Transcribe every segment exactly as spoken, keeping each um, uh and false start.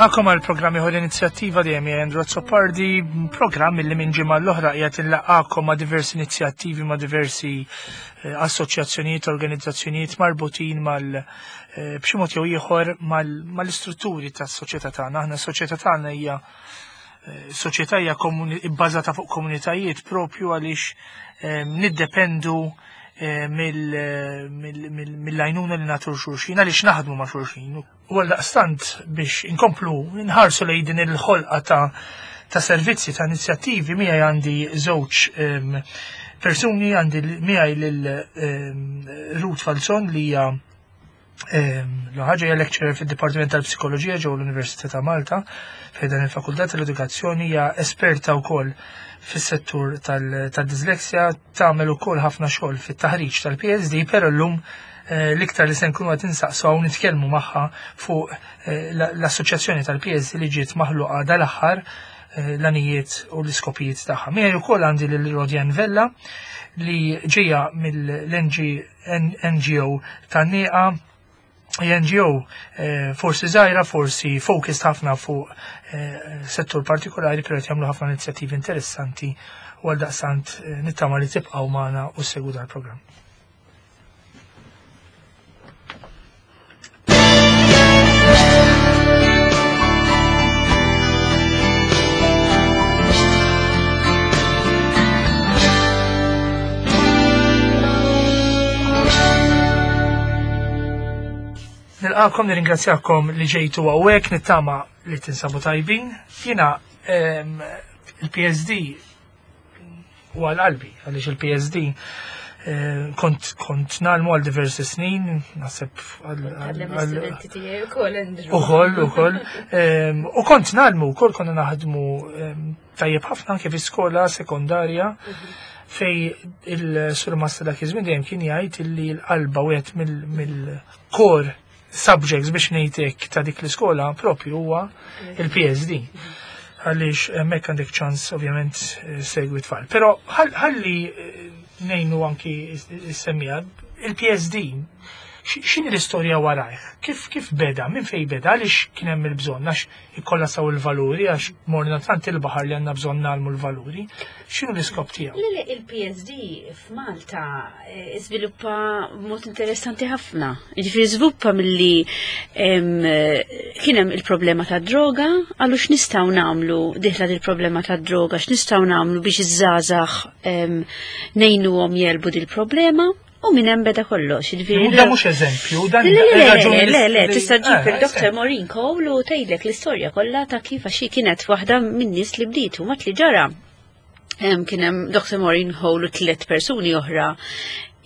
Nilqakom għal programm ieħor inizjattiva dejjem hija Andrew Azzopardi, programm li minn ġimgħa l-oħra qiegħed inlaqgħakom ma' diversi inizjattivi ma' diversi eh, assoċjazzjonijiet, organizzazzjonijiet marbutin mal eh, b'xi mod jew ieħor mal-istrutturi tas-soċjetà tagħna. Aħna s-soċjetà tagħna hija eh, soċjetà hija bbażata fuq komunitajiet propju għaliex niddependu mill-għajnuna li nagħtu xulxin, għaliex naħdmu ma' xulxin. U għaldaqstant biex inkomplu nħarsu lejn din il-ħolqa ta' ta' servizzi, ta' inizjattivi, miegħi għandi żewġ persuni, għandi miegħi lil Ruth Falzon li hija l-ħaġa hija lecturer fid-Dipartiment tal-Psikoloġija ġewwa l-Università ta' Malta, fejn dan il-Fakultà tal-Edukazzjoni, hija esperta wkoll fis-settur tal-disleksja, tagħmel ukoll ħafna xogħol fit-taħriġ tal-P S D, però llum eh, l-iktar li se nkunu qed insaqsu hawn nitkellmu magħha fuq eh, l-assoċjazzjoni tal-P S D li ġiet maħluqa dal-aħħar, eh, l-għanijiet u l-iskopijiet tagħha. Miegħi wkoll għandi lil Rodian Vella li ġejja mill-N G O tan-Nieqa, N G O forsi żgħira, forsi focused ħafna fuq settur partikolari, però qed jagħmlu ħafna inizjattivi interessanti u għaldaqstant nittama li tibqgħu magħna u ssegwu dal-programm. Nilqakom, nirringrazzjakom li ġejtu hawnhekk, nittama li tinsabu tajbin. Jiena il-P S D u għal-qalbi, għaliex il-P S D kont kont ngħallmu għal diversi snin, naħseb. Ukoll, ukoll. U kont ngħallmu, ukoll konna naħdmu tajjeb ħafna anke fi skola sekondarja fej il-surmast dak iż-żmien dejjem kien jgħid illi l-qalba wieħed mill-core subjects, biex ngħidlek, ta' dik l-iskola propju huwa il-P S D. Għaliex hemmhekk għandek ċans ovvjament segwi tfal. Però ħalli ngħinu anki s-semmija, il-P S D x'inhi l-istorja warajh? Kif kif beda? Minn fej beda? Għaliex kien hemm il-bżonn? Għax ikkollassaw il-valuri, għax morna tant il-baħar li għandna bżonn nagħmlu l-valuri. X'inhu l-iskop tiegħu? Le, il-P S D f'Malta żviluppa b'mod interessanti ħafna. Jiġifieri żviluppa milli kien hemm il-problema ta' droga, għallu x'nistgħu nagħmlu dieħla il-problema ta' droga, x'nistgħu nagħmlu biex iż-żgħażagħ ngħinuhom jegħlbu dil-problema. U minn hemm beda kollox. Da mhux eżempju, dan Le, le, le, le, tista' ġib il-Doktor Maureen Cole u tgħidlek l-istorja kollha ta' kif, għax kienet waħda min-nies li bdiet u mat li ġara. Kien hemm Doktor Maureen Cole u tliet persuni oħra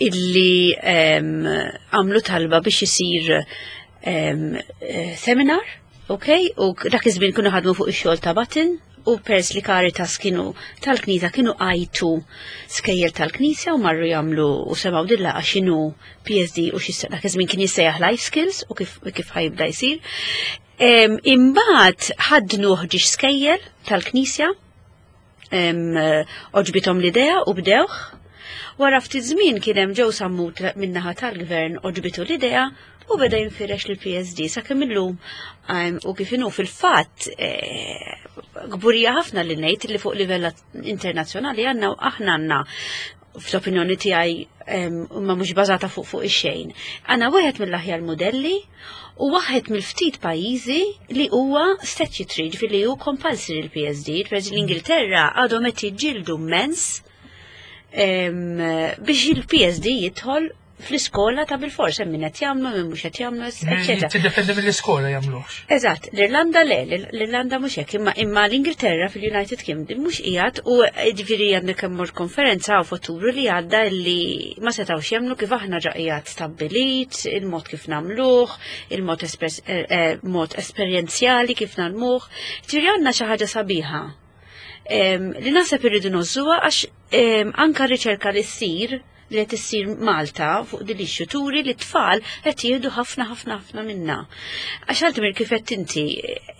illi għamlu talba biex isir seminar, ok? U dak iż-żmien kienu ħadmu fuq ix-xogħol ta' Button u pers li Caritas kienu tal-Knisja kienu għajtu skejjel tal-Knisja u marru jagħmlu u semgħu dilla x'inhu P S D u xi dak iż-żmien kien jissejjaħ Life Skills u kif kif ħa jibda jsir. Imbagħad ħadnu ħġiex skejjel tal-Knisja, għoġbithom l-idea u bdewh. Wara ftit żmien kien hemm ġew sammut min-naħa tal-gvern, għoġbitu l-idea u beda jinfirex l-P S D sakemm illum u kif inhu. Fil-fatt eh, kburija ħafna li ngħid li fuq livell internazzjonali għandna, aħna għandna, fl-opinjoni tiegħi ma mhux bażata fuq fuq ix-xejn. Għandna wieħed mill-aħjar modelli u waħed mill-ftit pajjiżi li huwa statutory, ġifieri li hu compulsory l-P S D. Per l-Ingilterra għadhom qed jiġġieldu immens biex il-P S D jidħol fl-iskola ta' bil-fors, hemm min qed jagħmlu, min mhux qed jagħmlu, eċetera. Tiddependi mill-iskola jagħmluhx. Eżatt, l-Irlanda le, l-Irlanda mhux hekk, imma imma l-Ingilterra fil-United Kingdom mhux qiegħed u ġifieri għandek kemm mort konferenza u f'Ottubru li għadda li ma setgħux jemmnu kif aħna ġa qiegħed stabbilit, il-mod kif nagħmluh, il-mod eh, eh, mod esperjenzjali kif nagħmluh. Ġifieri għandna xi ħaġa sabiħa li naħseb irridu ngħożżuha, għax anka riċerka li ssir li qed issir Malta fuq din issue turi li t-tfal qed jieħdu ħafna ħafna ħafna minna. Għax għaltimir kif qed inti,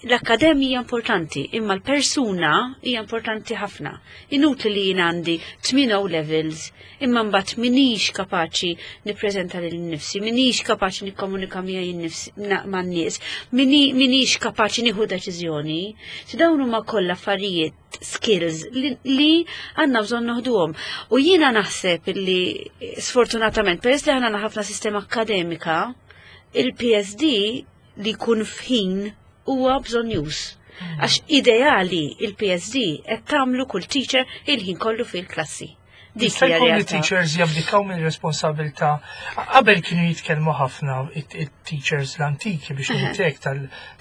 l-akkademija importanti, imma l-persuna hija importanti ħafna. Inutli li jien għandi tmien O levels, imma mbagħad minix kapaċi nippreżenta lil nifsi, minix kapaċi nikkomunika miegħi nnifsi man-nies, minix kapaċi nieħu deċiżjoni. Si dawn huma kollha affarijiet, skills li, li għandna bżonn noħduhom. U jiena naħseb li sfortunatament, peress li għandna ħafna sistema akkademika, il-P S D li jkun f'ħin huwa bżonnjuż. Għax ideali il-P S D qed tagħmlu kull teacher il-ħin kollu fil-klassi. Dik Jista' hija jkun li realtà. teachers jabdikaw minn responsabilità. Qabel kienu jitkellmu ħafna it-teachers l-antiki biex ngħidlek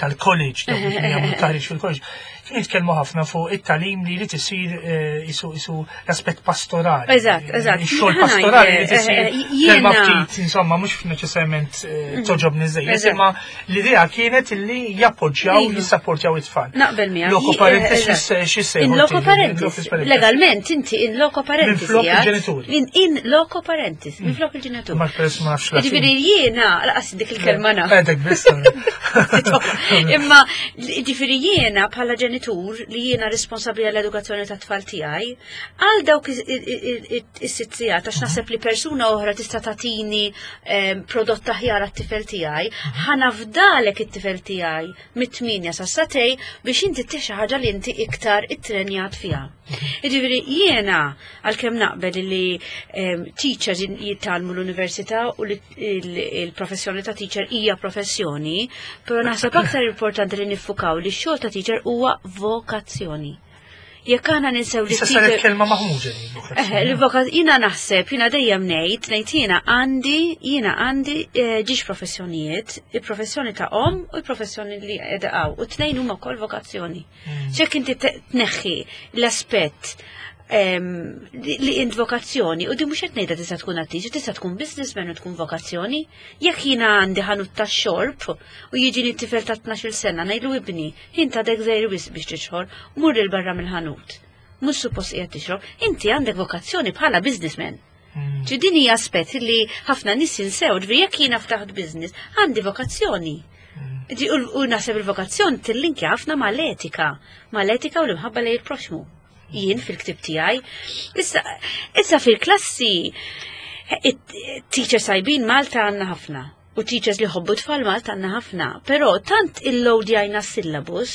tal-college, dawk li kienu jagħmlu taħriġ fil-college, kienu jitkellmu ħafna fuq it-tagħlim li li tisir eh, isu isu l-aspett pastorali. Eżatt, eżatt. Ix-xogħol Ħa pastorali li ngħid, tisir eh, eh, kelma jiena- ftit, insomma, mhux neċessarjament eh, toġobni żejjed, Eżatt. imma l-idea kienet illi jappoġġjaw, Iva. jissapportjaw it-tfal. Naqbel miegħek. Loco parentis Eżatt. x'issejħu? In loco parentis. Legalment inti in loco parentis. Minflok qiegħed. il-ġenituri. In, in loco parentis, minflok il-ġenituri. Ma peress ma nafx Latin. Ġifieri jiena, laqas dik il-kelma naf. Għedek biss. Imma ġifieri jiena bħala ġenitur li jiena responsabbli għall-edukazzjoni ta' tfal tiegħi, għal dawk is-sitt sigħat, għax naħseb li persuna oħra tista' tagħtini em, prodott aħjar għat-tifel tiegħi, ħa nafdalek it-tifel tiegħi mit-tmienja sa sagħtejn biex inti ttih xi ħaġa li inti iktar ittrenjat fiha. Ġifieri jiena għalkemm naqbel li em, teachers jitgħallmu l-università u li il- il-professjoni ta' teacher hija professjoni, però naħseb aktar importanti li niffukaw li x-xogħol ta' teacher huwa vokazzjoni. Jekk aħna ninsew li Issa saret teacher kelma maħmuġa li Eh, vokazzjoni. l-voka- Jiena naħseb, jiena dejjem ngħid, ngħid jiena għandi, jiena għandi eh, ġiex professjonijiet, il-professjoni ta' om u il-professjoni li qiegħda hawn, u tnejn huma wkoll vokazzjoni. Ċek inti te- tneħħi l-aspett em, li li int vokazzjoni, u di mhux qed ngħidha tista' tkun attriċi, tista' tkun businessman u tkun vokazzjoni. Jekk jiena għandi ħanut ta' xorb u jiġini t-tifel ta' tnax-il sena ngħidlu: "Ibni, int għadek żgħir wisq biex tixrob, mur 'il barra mill-ħanut. Mhux suppost qiegħed tixrob, inti għandek vokazzjoni bħala businessman." Mm. Ġi din hija aspett li ħafna nies jinsew, ġifieri jekk jiena ftaħt business, għandi vokazzjoni. Ġi, U u naħseb il-vokazzjoni tillinkja ħafna mal-etika, mal-etika u l-imħabba lejn il-proxmu. Jien fil-ktib tiegħi. Issa, issa fil-klassi, it-teachers tajbin Malta għandna ħafna. U teachers li ħobbu tfal Malta għandna ħafna. Però tant il-loadjajna syllabus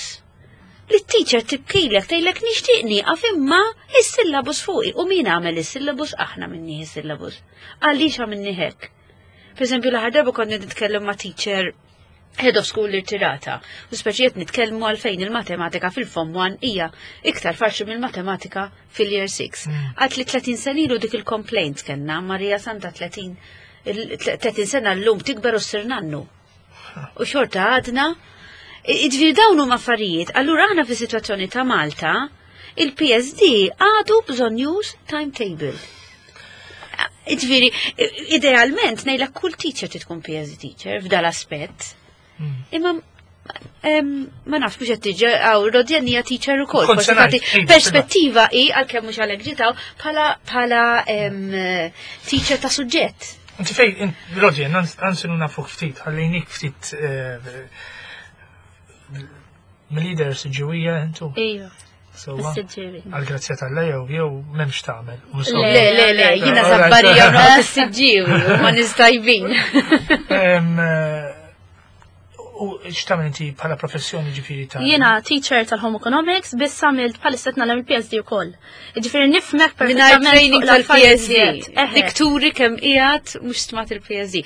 li t-teacher tibkilek, tgħidlek: "Nixtieq nieqaf imma is-syllabus fuqi." U min għamel is-syllabus? Aħna minni is-syllabus. Għaliex għamilni hekk? Per eżempju, l-aħħar darba konna nitkellem ma' teacher head of school irtirata. U speċijiet nitkellmu għalfejn il-matematika fil-Form one hija iktar faċli mill-matematika fil-Year six. Għat li tletin sena ilu dik il-complaint kellna, Marija Santa, tletin il- tletin sena l-lum tikber u ssir nannu. U xorta għadna, ġifieri dawn huma affarijiet. Allura aħna fi situazzjoni ta' Malta, il-P S D għadu bżonnjuż timetable. Ġifieri, idealment, ngħidlek kull teacher trid tkun P S D teacher f'dal aspett. Imma em, ma nafx mhux qed tiġi għaw Rodjan hija teacher ukoll. Kont Forsi se ngħid, tagħti iva, perspettiva hi għalkemm mhux għalhekk ġitaw bħala bħala em, teacher ta' suġġett. Inti fej, Rodjan, għansinu nafuk ftit, ħallejnik ftit eh, mill-leader Siġġiwija intu. Ejju, Sewwa. Siġġiewi. Għal-grazzja tal jew jew m'hemmx tagħmel. Le, le, le, jiena Alright. Żabbarija noqgħod is-Siġġiewi u ma nistajbin. Em, eh, U x'tagħmel inti bħala professjoni, ġifieri ta' Jiena teacher tal-Home Economics, biss għamilt bħalissa qed nagħmel il-P S D ukoll. Ġifieri nifhmek Mingħajr perfettament training fuq l-affarijiet. tal-P S D. Eħe. Dik turi kemm qiegħed mhux stmat il-P S D.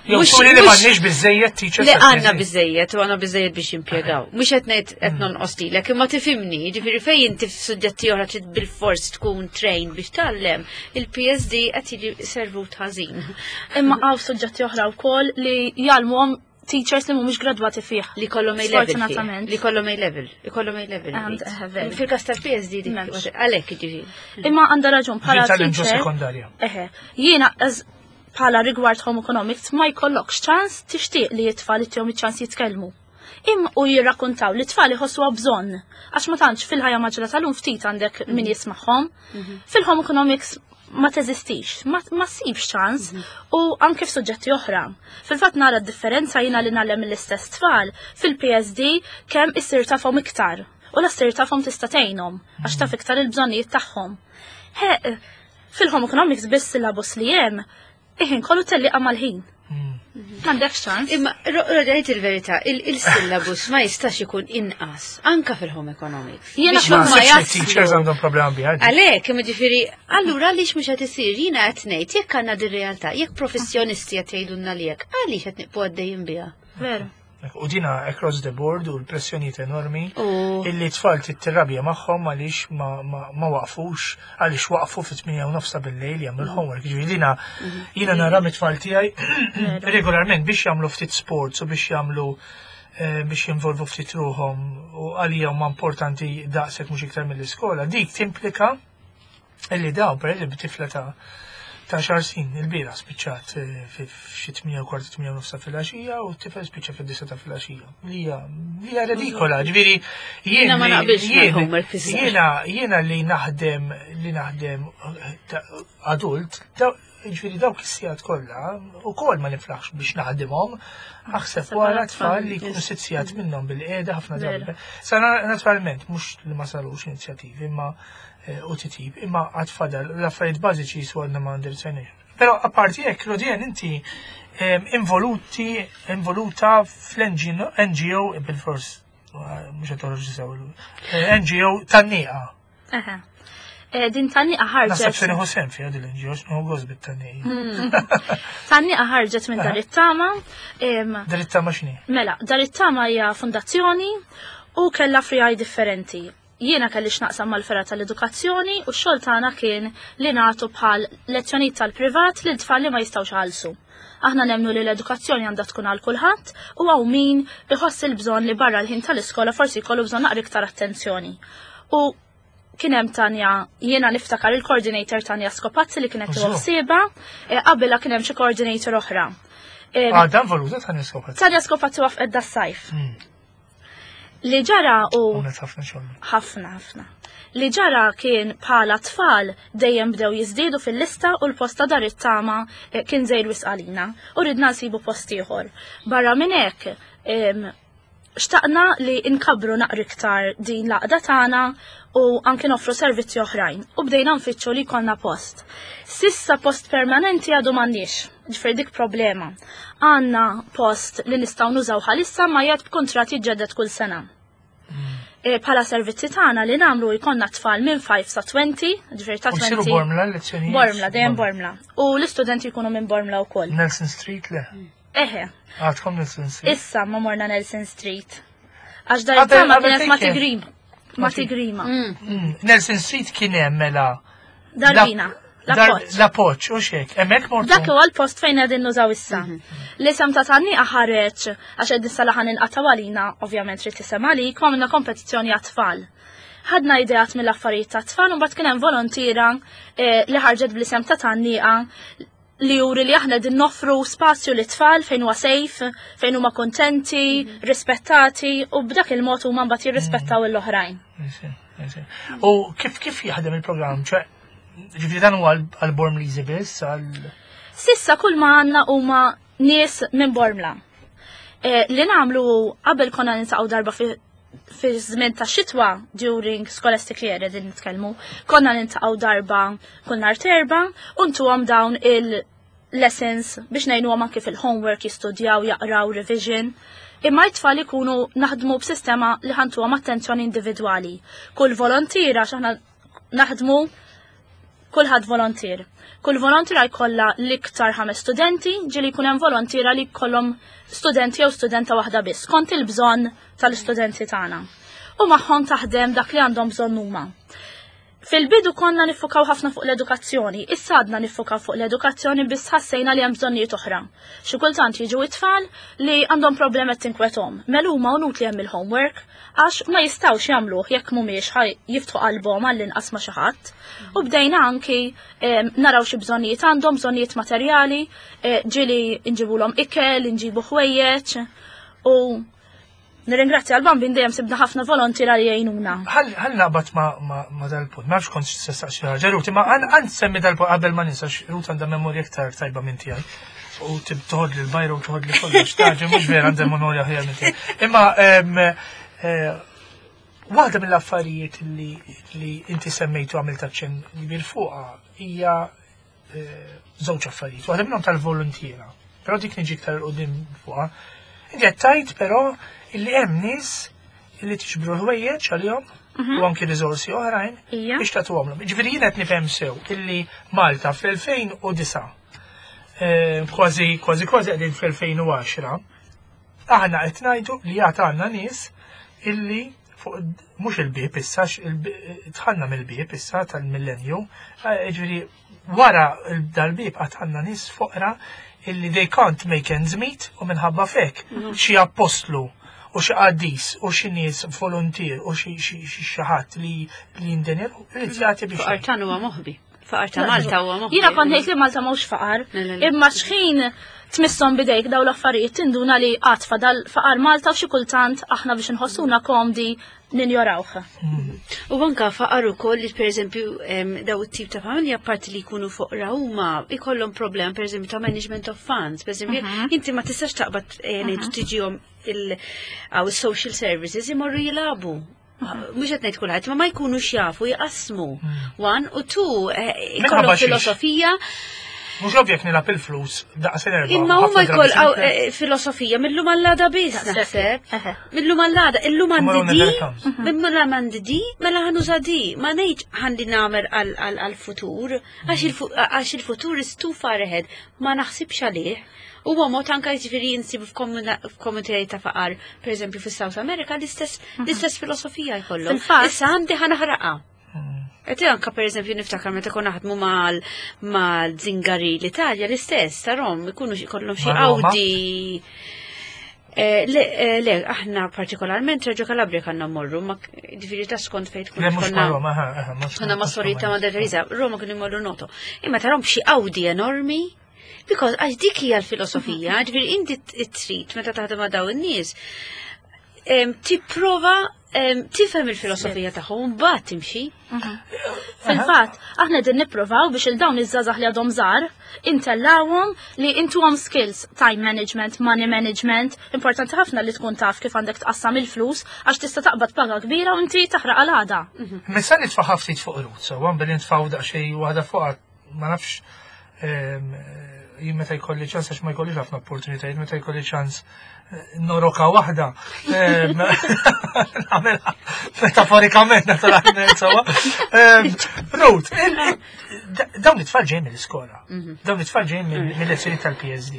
Jew Mhux- turi li mhux- m'għandniex biżejjed teachers Le, tal-P S D. għandna biżejjed u għandna biżejjed biex jimpjegaw. Mhux qed ngħid qed nonqos lilek, imma tifhimni, ġifieri fejn inti f'suġġetti oħra trid bil-fors tkun trained biex tgħallem, il-P S D qed jiġi servut ħażin. Imma għaw suġġetti oħra wkoll li jgħallmuhom teachers li mhumiex gradwati fih. Li kollhom A level. Sfortunatament. Li kollhom A level. Li kollhom A level. And, eh, very. Fil-każ tal-P S D dik M'hemmx. għalhekk ġifieri. Imma għandha raġun bħala Ġi ġo teacher. sekondarja. Eħe, jiena as bħala rigward home economics ma jkollokx ċans tixtieq li t-tfal ittihom iċ-ċans jitkellmu. Im u jirrakkontaw li t-tfal iħossuha bżonn. Għax ma tantx fil-ħajja maġra tal-lum ftit għandek min jismagħhom. Fil-home economics ma teżistix, ma, ma ssibx ċans u anke f'suġġetti oħra. Fil-fatt nara d-differenza jiena li ngħallem l-istess tfal fil-P S D kemm issir tafhom iktar. U la ssir tafhom tista' tgħinhom għax taf iktar il-bżonnijiet tagħhom. He, fil-home economics biss syllabus li hemm, iħin kollu telliqa mal-ħin. M'għandekx ċans. Imma, Rodajt il-verità, il-syllabus ma jistax ikun inqas, anka fil-home economics. Jiena Biex Ma huma naħsibx li teachers jaslu. għandhom problema biha. Għalek, imma ġifieri, allura għaliex mhux qed isir, jiena qed ngħid, jekk għandna din realtà, jekk professjonisti qed jgħidulna li jekk, għaliex qed nibqgħu għaddejjin biha? Veru. U dina across the board u l-pressjonijiet enormi U illi tfal tittirrabja magħhom għaliex ma, ma, ma waqfux, għaliex waqfu fit-tmienja u nofs ta' bil-lejl jagħmlu l-homework. Ġifieri dina jiena nara mit-tfal tiegħi regolarment biex jagħmlu ftit sports u biex jagħmlu eh, biex jinvolvu ftit ruħhom u għalija huma importanti daqshekk mhux iktar mill-iskola. Dik timplika illi daw per eżempju tifla ta' ta' għaxar snin il-bieraħ spiċċat eh, fi xi tmienja u kwart, tmienja u nofs ta' filgħaxija u t-tifel spiċċa fid-disgħa ta' filgħaxija. Li hija li hija redikola, ġifieri jien Jiena ma li- naqbilx jien- mal-homework fiż-żgħar. Jiena jiena li naħdem li naħdem eh, ta' adult, daw- ġifieri dawk is-sigħat kollha ukoll ma niflaħx biex naħdimhom, aħseb wara tfal li jkunu sitt sigħat minnhom bil-qiegħda ħafna drabi. Sa naturalment mhux li ma sarux inizjattivi imma eh, u titjib, imma għad fadal l-affarijiet bażiċi jisu għadna ma ndirizzajniex. Però apparti hekk, Rodian, inti em, involuti, involuta fl-N G O, bil-fors, mhux qed toħroġ sew, eh, N G O Tan-Nieqa. Eħe. Eh, Din Tan-Nieqa Naħseb ħarġet. se nieħu sehem fiha din l-N G O, x'nieħu gost bit-Tan-Nieqa. Tan-Nieqa ħarġet minn Dar it-Tama. em, Dar it-Tama x'inhi? Mela, Dar it-Tama hija fondazzjoni u kellha friegħi differenti. Jiena kelli x'naqsam mal-fergħa tal-edukazzjoni u x-xogħol tagħna kien li nagħtu bħal lezzjonijiet tal-privat lil tfal li ma jistgħux iħallsu. Aħna nemnu li l-edukazzjoni għandha tkun għal kulħadd u hawn min iħoss il-bżonn li barra l-ħin tal-iskola forsi jkollu bżonn naqra iktar attenzjoni. U kien hemm Tanja, jiena niftakar il-coordinator Tanja Skopazzi li kienet Użu. tieħu eh, qabilha kien hemm xi coordinator oħra. Eh, Ah, dan voluta ta' niskopazzi. Tanja Skopazzi waqfet das-sajf. Li ġara u Għamlet ħafna xogħol. Ħafna ħafna. Li ġara kien bħala tfal dejjem bdew jiżdiedu fil-lista u l-post ta' Dar it-Tama eh, kien żgħir wisq għalina u ridna nsibu post ieħor. Barra minn hekk em, xtaqna li nkabru naqra iktar din l-għaqda tagħna u anke noffru servizzi oħrajn u bdejna nfittxu li jkollna post. S'issa post permanenti għadu m'għandniex, ġifieri dik problema. Għandna post li nistgħu nużaw bħalissa ma jgħid b'kuntratt jiġġedded kull sena. E, Bħala servizzi tagħna li nagħmlu jkollna tfal minn ħmistax sa għoxrin, ġifieri ta' U jsiru għoxrin. Bormla lezzjonijiet? Bormla, dejjem Bormla. U l-istudenti jkunu minn Bormla wkoll. Nelson Street le? Eħe, Għadkom Nelson Street? Issa ma morna Nelson Street. Għax Dar Qabel- it-Tama qabel kienet fejn ma kien? tigrim. Ma tigrima. Mm, Nelson Street kien hemm mela. Darbina. Dar- L-appoġġ. L-appoġġ, u xek. Hemmhekk mortu. Dak huwa l-post fejn qegħdin nużaw issa. L-isem ta' Tan-Nieqa ħareġ għax qed issa ħan inqataw għalina, ovvjament trid tisem għalik, u għamilna kompetizzjoni għat-tfal. Ħadna ideat mill-affarijiet ta' tfal u mbagħad kien hemm volontira eh, li ħarġet bl-isem ta' Tan-Nieqa li juri li aħna din noffru spazju lit-tfal fejn huwa safe, fejn huma kontenti, rispettati u b'dak il-mod huma mbagħad jirrispettaw l-oħrajn. Isi, isi. U kif kif jaħdem il-programm? ċe, ġifieri dan huwa għal-Bormliżi biss, għal. S'issa kull ma għandna huma nies minn Bormla. E, li nagħmlu qabel konna niltaqgħu darba fi fi żmien ta' xitwa during scholastic year qegħdin nitkellmu, konna niltaqgħu darba kull nhar t'Erbgħa u ntuhom dawn il-lessons biex ngħinuhom anke fil-homework jistudjaw, jaqraw, revision. Imma t-tfal ikunu naħdmu b'sistema li ħa ntuhom attenzjoni individwali. Kull volontira x'aħna naħdmu kulħadd volontier. Kull volontira jkollha l-iktar ħames studenti, ġieli jkun hemm volontira li jkollhom studenti jew studenta waħda biss, kont il-bżonn tal-istudenti tagħna. U magħhom taħdem dak li għandhom bżonn huma. Fil-bidu konna niffukaw ħafna fuq l-edukazzjoni, issa għadna niffukaw fuq l-edukazzjoni biss ħassejna li hemm bżonnijiet oħra. Xi kultant jiġu it-tfal li għandhom problemi tinkwetahom. Mela huma unut li hemm il-homework għax ma jistgħux jagħmluh jekk mhumiex ħaj jiftħu qalbhom għall-inqas ma' xi ħadd. U bdejna anki em, naraw xi bżonnijiet għandhom, bżonnijiet materjali, eh, ġieli nġibulhom ikel, nġibu ħwejjeġ u Nirringrazzja għal-Bambin, dejjem sibna ħafna volontiera li jgħinuna. Ħalli naqbad ma dal-punt, ma nafx kont se staqsi ħaġa, Ruth, ma għan semmi dal-punt qabel ma ninsa, Ruth għandha memorja iktar tajba minn tiegħi. U toħod li l-bajru u toħod li kollox, taġi, mhux vera għandha memorja ħjar minn tiegħi. Imma eh, waħda mill-affarijiet li inti semmejtu, għamilt aċċenn kbir fuqha, hija eh, żewġ affarijiet. Waħda minnhom tal-volontiera. Però dik niġi iktar quddiem fuqha. Inti qed tgħid però illi hemm nies illi tiġbru ħwejjeġ għalihom mhm. u anki riżorsi oħrajn biex tagħtuhomlhom. Ġifieri jien qed nifhem sew illi Malta fl-elfejn u disgħa, eh, kważi kważi kważi qegħdin fl-elfejn u għaxra, aħna qed ngħidu li għad għandna nies illi fuq mhux il-bieb issa, dħalna mill-bieb issa tal-millenju, eh, ġifieri wara dal-bieb għad għandna nies foqra illi they can't make ends meet u minħabba fek mm. xi appostlu u xi qaddis u xi nies volunteer u xi xi ħadd li li jindenir irid jagħti biex. Faqar tan huwa moħbi. Faqar ta' Malta huwa moħbi. Jiena kont ngħid li Malta mhux faqar, imma xħin tmisshom bidejk daw l-affarijiet tinduna li għad fadal faqar Malta u xi kultant aħna biex nħossuna komdi ninjorawh. U anka faqar ukoll li, pereżempju, daw it-tip ta' familja, parti li jkunu foqra, huma ikollhom problem, pereżempju, ta' management of funds. Pereżempju, mhm. inti ma tistax taqbad eh, ngħidu mhm. tiġihom il-social services imorru jilagħbu. Mhux qed ngħid kulħadd, ma ma jkunux jafu jqasmu. Hmm. One u two, eh, ikollhom filosofija. Mhux ovvjek nilgħab il-flus daqs erba. Imma huma jkoll eh, filosofija millum għall-għada biss naħseb. Millum għall-għada, illum għandi di, millum għandi di, mela ħa nuża di. Ma ngħidx ħandi nagħmel għal-futur, għax il-futur is too far ahead, ma naħsibx għalih. Huwa mod anka, jiġifieri, insibu f'komunitajiet ta' faqar, pereżempju fis-South America, l-istess l-istess filosofija jkollhom. Issa għandi, ħa naħraqha. Et anka, per eżempju, niftakar meta konna naħdmu mal mal-Zingari l-Italja, l-istess, tarom, ikunu kollhom xi Audi. Eh, le, eh, le, aħna partikolarment Reggio Calabria kanna morru, ma ġifieri ta' skont fejn tkun. Konna ma' sorita ma' Teresa, Roma kienu jmorru Noto. Imma tarom xi Audi enormi, because għax dik hija l-filosofija, ġifieri inti trid meta taħdem ma' daw in-nies, tipprova tifhem il-filosofija tagħhom, mbagħad timxi. Mhm. Fil-fatt, aħna din nippruvaw biex il dawn iż-żgħażagħ li għadhom żgħar intellawhom li intuhom skills, time management, money management, importanti ħafna li tkun taf kif għandek tqassam il-flus għax tista' taqbad paga kbira u inti taħraq għal għada. Mhm. Missa nitfa' ftit fuq Ruth, so billi nitfgħu daqsxejn waħda fuq, ma nafx, jien meta jkolli ċans, għax ma jkollix ħafna opportunitajiet, meta jkolli ċans eh, noroka waħda. Nagħmilha metaforikament, naturalment, sewwa. Ruth, dawn it-tfal ġejjin mill-iskola. Mhm. Dawn it-tfal ġejjin mill-lezzjoni tal-P S D.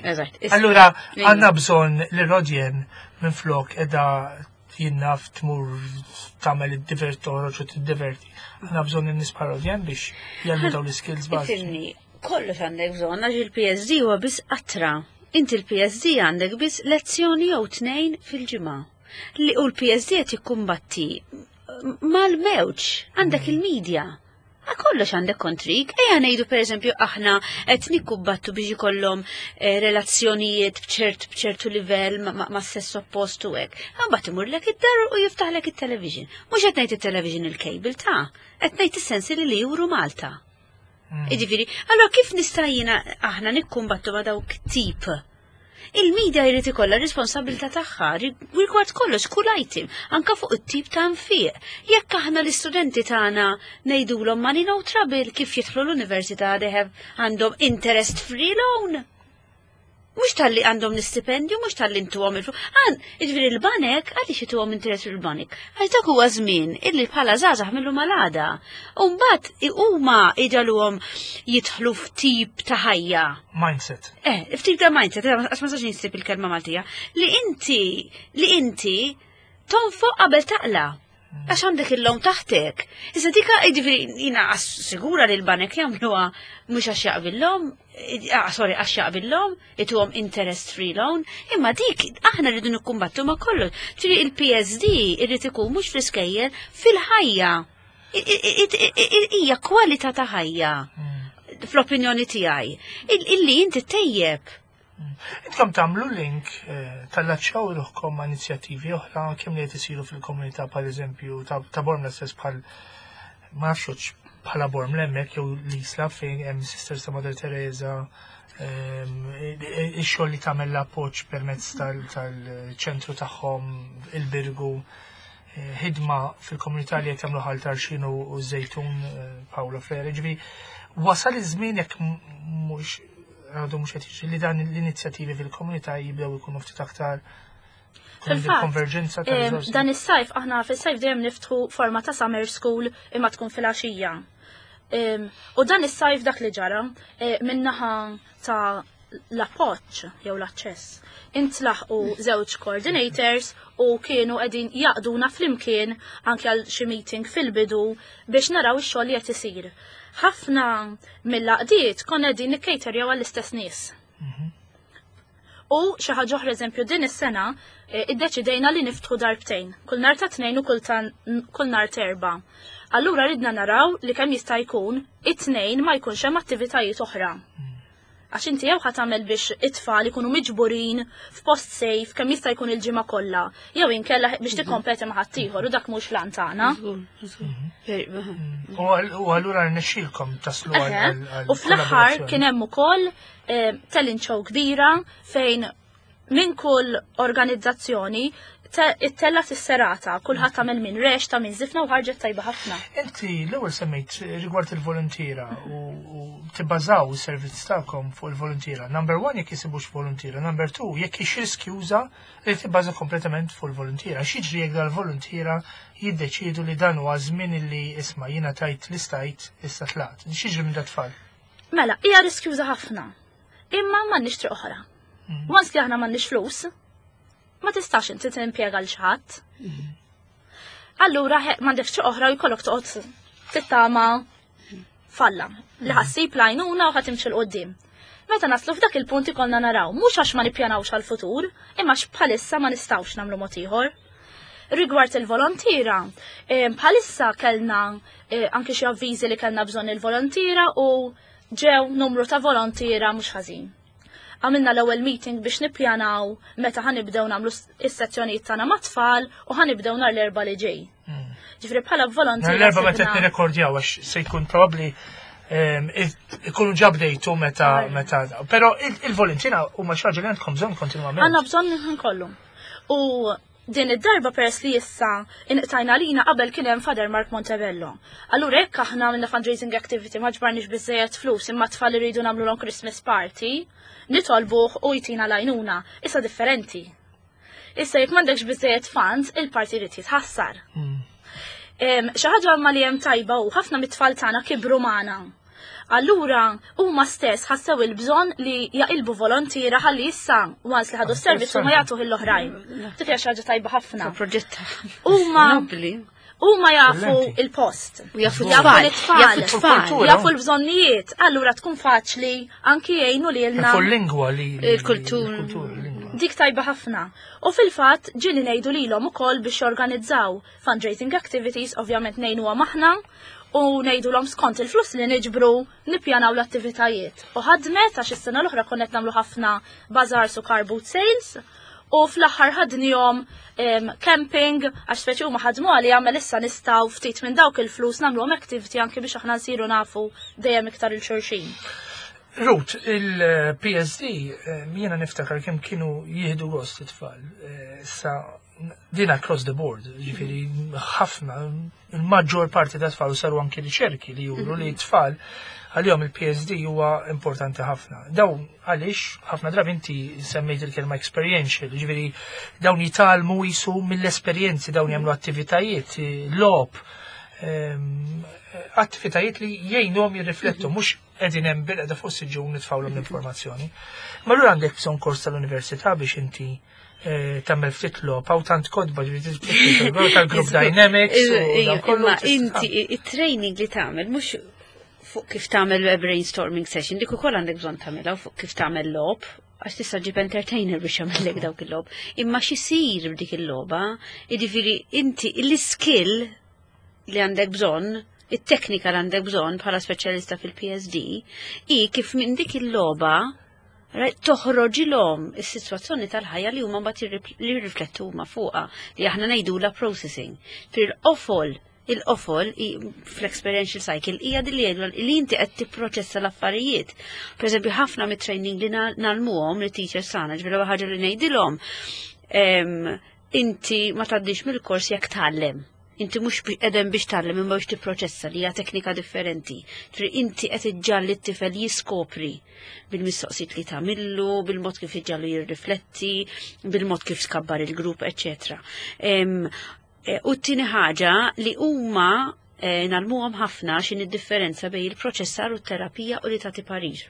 Allura għandna bżonn li Rodjen minn flok edha jinnaf tmur tagħmel id-divert, toħroġ u tiddiverti. Għandna bżonn in-nies bħal Rodjen biex jgħallmu dawn l-skills bażiċi. Kollox għandek bżonn, għax il-P S D huwa biss qatra. Inti l-P S D għandek biss lezzjoni jew tnejn fil-ġimgħa. Li u l-P S D qed jikkumbatti mal-mewġ, għandek il-medja. A kollox għandek kontrik. Ejja ngħidu, pereżempju, aħna qed nikkumbattu biex ikollhom eh, relazzjonijiet bċert bċertu livell ma, ma, ma sess oppost u hekk. Mbagħad imurlek id-dar u jiftaħlek it-television. Mhux qed ngħid it-television il-cable ta', qed ngħid is-sensi li juru Malta. Mm. Iġifieri, allora kif nista' jiena aħna nikkumbattu ma' dawk tip? Il-media jrid ikollha responsabilità tagħha rigward kollox, kull item, anka fuq it-tip ta' nfiq. Jekk aħna l-istudenti tagħna ngħidulhom money no trouble, kif jidħlu l-università they have għandhom interest free loan. Mhux talli għandhom l-istipendju, mhux talli intuhom il Għan, jiġifieri l-banek, għaliex ituhom interess fil-banek? Għax dak huwa żmien illi bħala żgħażagħ millu malada. U mbagħad huma iġagħluhom jidħlu f'tip ta' ħajja. Mindset. Eh, f'tip ta' mindset, għax ma sax insib il-kelma Maltija, li inti, li inti tonfoq qabel taqla. Għax għandek il-loan taħtek. Issa dika, jiġifieri, jiena sigura li l-banek jagħmluha mhux għax jaqbillhom, ah, sorry, għax jaqbillhom, ituhom interest free loan, imma dik aħna rridu nikkumbattu ma' kollox. Ġifieri il-P S D irrid ikun mhux fl-iskejjel, fil-ħajja. Hija kwalità ta' ħajja fl-opinjoni tiegħi. Illi inti tejjeb. Intkom tagħmlu link eh, tallaċċaw ruħkom ma' inizjattivi oħra kemm li qed isiru fil-komunità, per eżempju ta' Bormla stess, bħal ma nafx bħala Bormla hemmhekk jew l-Isla fejn hemm Sisters ta' Mother Teresa, ehm, ix-xogħol li tagħmel l-appoġġ permezz tal-ċentru tagħhom il-Birgu, eh, ħidma fil-komunità li qed jagħmlu Ħal Tarxien u Żejtun, eh, Paolo Freire. Ġifieri wasal iż-żmien, jekk mhux għadu mhux qed jiġri, li dan l-inizjattivi fil-komunità jibdew ikunu ftit aktar konverġenza ta' riżorsi. Dan is-sajf, aħna fis-sajf dejjem niftħu forma ta' summer school imma tkun fil-għaxija. U dan is-sajf dak li ġara e, minnaħa ta' l-appoġġ jew l-aċċess. Intlaħqu żewġ coordinators u kienu qegħdin jaqduna flimkien anke għal xi meeting fil-bidu biex naraw ix-xogħol li qed isir. Ħafna mill-għaqdiet konna qegħdin nikkejterjaw għall-istess nies. Mhm. U xi ħaġa oħra, eżempju, din is-sena eh, iddeċidejna li niftħu darbtejn, kull nhar ta' Tnejn u kull nhar t'Erbgħa. Allura ridna naraw li kemm jista' jkun it-Tnejn ma jkunx hemm attivitajiet oħra. Għax inti jew tagħmel biex it-tfal ikunu miġburin f'post safe kemm jista' jkun il-ġimgħa kollha, jew inkella biex tikkompeti ma' ħaddieħor u dak mhux l-għan tagħna. U allura rnexxielkom taslu għal U fl-aħħar kien hemm ukoll eh, talent show kbira fejn minn kull organizzazzjoni ittella s-serata, kulħadd tagħmel minn rex ta' minn zifna u ħarġet tajba ħafna. Inti l-ewwel semmejt rigward il-volontiera u tibbażaw is-servizz tagħkom fuq il-volontiera. Number one, jekk jisibux volontiera, number two, jekk hix riskjuża li tibbaża kompletament fuq il-volontiera. X'jiġri jekk dal-volontiera jiddeċiedu li dan huwa żmien li isma' jiena tajt li stajt, issa tlaqt? X'jiġri minn dat-tfal? Mela, hija riskjuża ħafna. Imma m'għandniex triq oħra. Mm. Once li aħna m'għandniex flus, ma tistax inti timpjega l ħadd. Allura m'għandekx triq oħra u jkollok toqgħod tittama f'Alla li ħa ssib l-għajnuna u ħa timxi 'l quddiem. Meta naslu f'dak il-punt ikollna naraw, mhux għax ma nippjanawx għal-futur, imma bħalissa ma nistgħux nagħmlu mod ieħor. Rigward il-volontira, eh, bħalissa kellna eh, anke xi avviżi li kellna bżonn il-volontira u ġew numru ta' volontira mhux ħażin. Għamilna l-ewwel meeting biex nippjanaw meta ħa nibdew nagħmlu is-sezzjonijiet tagħna mat-tfal u ħa nibdew nhar l-Erbgħa li ġej. Hmm. Ġifieri bħala volontira. Nhar l-Erbgħa meta qed nirrekordjaw, għax se jkun probabbli ehm, ikunu ġa bdejtu meta meta però il-volontiera huma xi ħaġa li għandkom bżonn kontinwament. Għandna bżonn kollu. U din id-darba, peress li issa inqtajna lina, qabel kien hemm Father Mark Montebello. Allura jekk aħna minna fundraising activity ma ġbarniex biżejjed flus imma tfal iridu nagħmlu Christmas party, nitolbuh u jtina l-għajnuna. Issa differenti. Issa jekk m'għandekx biżejjed funds, il-party jrid jitħassar. Hmm. Xi ħaġa ma li hemm tajba u ħafna mit-tfal tagħna kibru magħna. Allura huma stess ħassew il-bżonn li jaqilbu volontira ħalli issa once li ħadu s-servizz huma jagħtuh l-oħrajn. Dik hija xi ħaġa tajba ħafna. Proġett Huma huma jafu il-post. U jafu tfal, jafu tfal, jafu l-bżonnijiet, allura tkun faċli anki jgħinu li lna. Jafu l-lingwa li. Il-kultur. Dik tajba ħafna. U fil-fatt ġieli ngħidu lilhom ukoll biex jorganizzaw fundraising activities, ovvjament ngħinuhom aħna, u ngħidulhom skont il-flus li niġbru nippjanaw l-attivitajiet. U ħadmet, għax is-sena l-oħra konna qed nagħmlu ħafna bazaars u car boot sales u fl-aħħar ħadnihom camping, għax speċi huma ħadmu għali għamel issa nistgħu ftit minn dawk il-flus nagħmluhom activity anke biex aħna nsiru nafu dejjem iktar 'il xulxin. Ruth, il-P S D, jiena niftakar kemm kienu jieħdu gost it-tfal. Eh, sa din across the board, ġifieri ħafna, il-maġġor parti ta' tfal, saru anki riċerki li juru li tfal għalihom il-P S D huwa importanti ħafna. Dawn għaliex ħafna drabi inti semmejt il-kelma experiential, ġifieri dawn jitgħallmu jisu mill-esperjenzi, dawn jagħmlu attivitajiet, logħob, ehm, attivitajiet li jgħinuhom jirriflettu, mhux qegħdin hemm bilqiegħda fuq siġġu nitfgħulhom l-informazzjoni. Ma allura għandek bżonn kors tal-università biex inti eh, tagħmel ftit logħob hawn tant kotba, ġifieri tal-group dynamics u dan kollu. Imma inti it-training li tagħmel mhux fuq kif tagħmel brainstorming session, dik ukoll għandek bżonn tagħmilha, fuq kif tagħmel logħob, għax tista' ġib entertainer biex jagħmellek dawk il-logħob. Imma x'isir b'dik il-logħba, jiġifieri inti l-skill li għandek bżonn, it-teknika li għandek bżonn bħala speċjalista fil-P S D, i kif minn dik il-logħba Right? Toħroġilhom is-sitwazzjoni tal-ħajja li huma mbagħad li jirriflettu huma fuqha, li aħna ngħidula processing. Fil-qofol il-qofol fl-experiential cycle hija din li jgħidu li inti qed tipproċessa l-affarijiet. Per eżempju, ħafna mit-training li ngħallmuhom li teachers tagħna, ġifieri ħaġa li ngħidilhom, inti ma tgħaddix mill-kors jekk tgħallem. Inti mhux qegħdem biex tgħallem imma biex tipproċessa, li hija teknika differenti. Ġifieri inti qed iġġalli t-tifel jiskopri bil-mistoqsijiet li tagħmillu, bil-mod kif iġġallu jirrifletti, bil-mod kif tkabbar il-grupp, eċċetera. U t-tieni ħaġa li huma eh, ngħallmuhom ħafna x'inhi d-differenza bejn il-proċessar u t-terapija u li tagħti parir.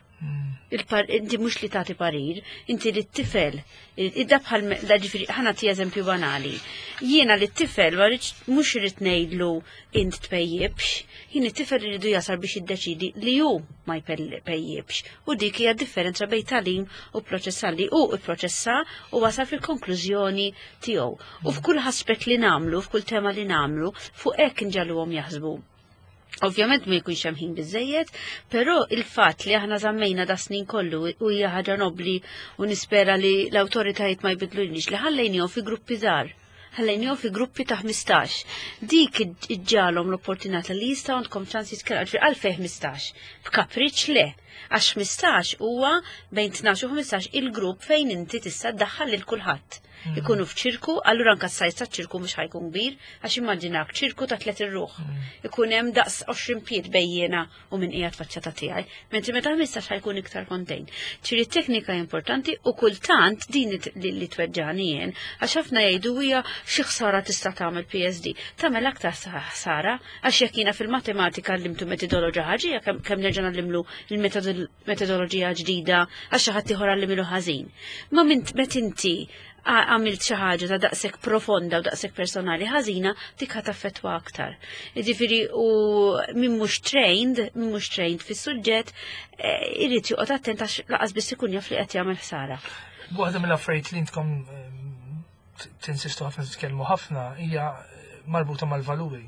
Inti mhux li tagħti parir, inti li t-tifel, idda bħal, da ġifieri, ħa nagħti eżempju banali. Jiena li t-tifel mhux irrid ngħidlu int tpejjibx, jien it-tifel iridu jasal biex jiddeċidi li hu ma jpejjibx. U dik hija differenza bejn tagħlim u proċessar, li hu ipproċessa u wasal fil-konklużjoni tiegħu. U f'kull aspett li nagħmlu, f'kull tema li nagħmlu, fuq hekk nġagħluhom jaħsbu. Ovvjament ma jkunx hemm ħin biżejjed, però il-fatt li aħna żammejna da snin kollu u hija ħaġa nobli u nispera li l-awtoritajiet ma jbidlulniex, li ħallejnihom fi gruppi żgħar. Ħallejnihom fi gruppi ta' ħmistax. Dik iġġalhom l-opportunità li jistgħu għandkom ċans jitkellmu. Għalfejn ħmistax? B'kapriċ le. Għax ħmistax huwa bejn tnax u ħmistax il-grupp fejn inti tista' ddaħħal lil kulħadd. Ikunu f'ċirku, allura anka s-size ta' ċirku mhux ħa jkun kbir, għax immaġinak ċirku ta' tliet irruħ. Ikun hemm daqs għoxrin pied bejjiena u min qiegħed faċċata tiegħi, mentri meta ħmistax ħa jkun iktar contained. Ġifieri teknika importanti u kultant din li, li tweġġani jien, għax ħafna jgħidu hija xi ħsara tista' tagħmel P S D. Tagħmel aktar ħsara, għax jekk jiena fil-matematika għallimtu metodoloġija ħaġa, kemm nerġa' ngħallimlu il-metodoloġija ġdida għax xi ħadd ieħor għallimlu ħażin. Ma minn met inti għamilt xi ħaġa ta' daqshekk profonda u daqshekk personali ħażina, dik ħa taffettwa aktar. Jiġifieri u min mhux trained, min mhux trained fis-suġġett, eh, irid joqgħod attent għax lanqas biss ikun jaf li qed jagħmel ħsara. Waħda mill-affarijiet li intkom ehm, tinsistu ħafna, titkellmu ħafna, hija marbuta mal-valuri.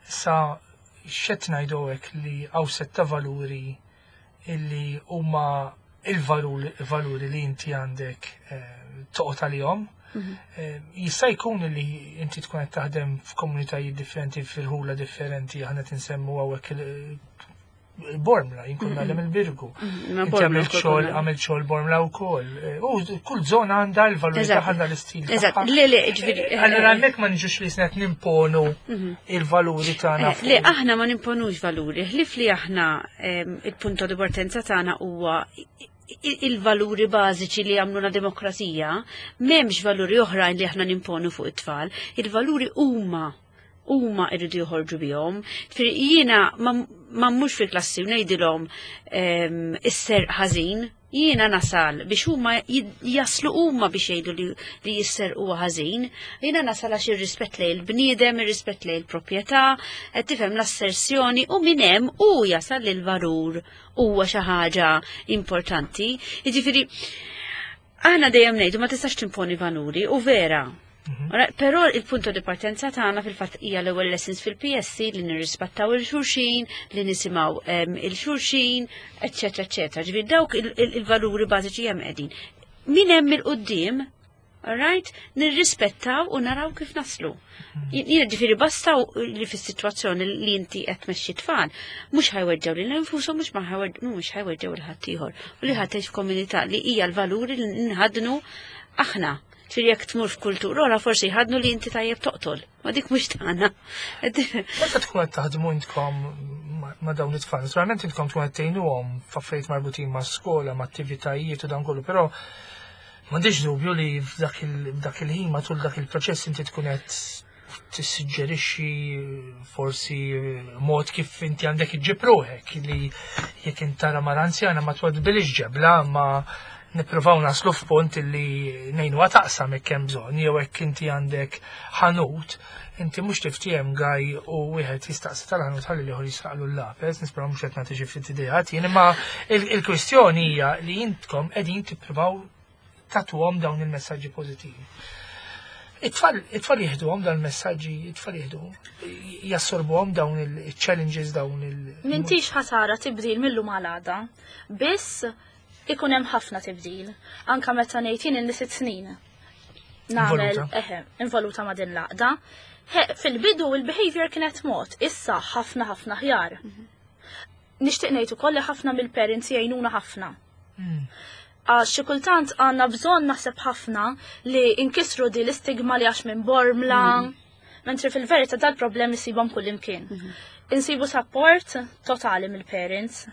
Sa xed ngħidu hekk li hawn setta valuri illi huma il-valuri li inti għandek eh, toqgħod għalihom. Mhm. Eh, jista' jkun li inti tkun qed taħdem f'komunitajiet differenti, fil-ħula differenti, aħna tinsemmu hawnhekk il-Bormla, jien kont ngħallem il-Birgu. Mhm, Inti għamilt xogħol, għamilt xogħol Bormla wkoll. Eh, u kull żona għandha l-valuri tagħha, għandha l-istil. Eżatt, le le, ġifieri. Allura hemmhekk ma niġux li snet nimponu mhm. il-valuri tagħna. Le, aħna ma nimponux valuri, ħlif li aħna il-punto di partenza tagħna huwa il-valuri bażiċi li għamluna demokrazija, m'hemmx valuri oħrajn li aħna nimponu fuq it-tfal, il-valuri huma huma irridu joħorġu bihom. Jiena ma mhux fil-klassi u ngħidilhom isser ħażin, jiena nasal biex huma jaslu huma biex jgħidu li, li jisser huwa ħażin. Jiena nasal għax ir-rispett lejn il-bniedem, ir-rispett lejn il-proprjetà, qed tifhem, l-assersjoni, u minn hemm u jasal li l-valur huwa xi ħaġa importanti. Jiġifieri aħna dejjem ngħidu ma tistax timponi valuri u vera. Ora, però il-punto di partenza tagħna fil-fatt hija l-ewwel lessons fil-P S C li nirrispettaw il-xulxin, li nisimgħu em, il-xulxin, eċċetera, eċċetera. Ġifieri dawk il- il- il-valuri bażiċi hemm qegħdin. Min hemm il-quddiem, alright, nirrispettaw u naraw kif naslu. Jiena ġifieri basta li fis-sitwazzjoni li inti qed tmexxi tfal, mhux ħa jweġġgħu lil infushom, mhux ma ħa jweġ- mhux ħa jweġġgħu lil ħaddieħor. U li ħadd tgħix f'komunità li hija l-valuri li nħadnu aħna. Ġifieri jekk tmur f'kultura oħra forsi jħadnu li inti tajjeb toqtol. Ma dik mhux tagħna. Meta tkun qed taħdmu intkom ma- ma' dawn it-tfal, naturalment intkom tkun qed tgħinuhom f'affarijiet marbutin ma' skola, ma' attivitajiet u dan kollu, però m'għandix dubju li f'dak il- f'dak il-ħin, matul dak il-proċess, inti tkun qed tissuġġerixxi forsi mod kif inti għandek iġġib ruħek, li jekk inti tara mara anzjana ma twadbilix ġebla, ma nippruvaw naslu f'punt li ngħinuha taqsam jekk hemm bżonn, jew jekk inti għandek ħanut, inti mhux tiftiem gaj u wieħed jistaqsi tal-ħanut ħalli l-ieħor jisraqlu l-lapes, nispera mhux qed nagħti xi ftit ideat jien, imma il- il-kwistjoni hija li intkom qegħdin tippruvaw tagħtuhom dawn il-messaġġi pożittivi. It-tfal it-tfal jieħduhom dawn il-messaġġi, it-tfal jieħdu, jassorbuhom dawn il-challenges, dawn il- M'intix ħa tara tibdil mil-lum għal għada. Biss Ikun hemm ħafna tibdil. Anka meta ngħid jien ili sitt snin. Nagħmel Involuta. eħe, involuta ma' din l-għaqda. He, fil-bidu il-behavior kienet mod, issa ħafna ħafna ħjar. Nixtieq ngħid ukoll li ħafna mill-parents jgħinuna ħafna. Mm. Għax xi kultant għandna bżonn naħseb ħafna li inkisru di l-istigma li għax minn Bormla. Mentri fil-verità dal-problemi sibhom kull imkien. Insibu support totali mill-parents.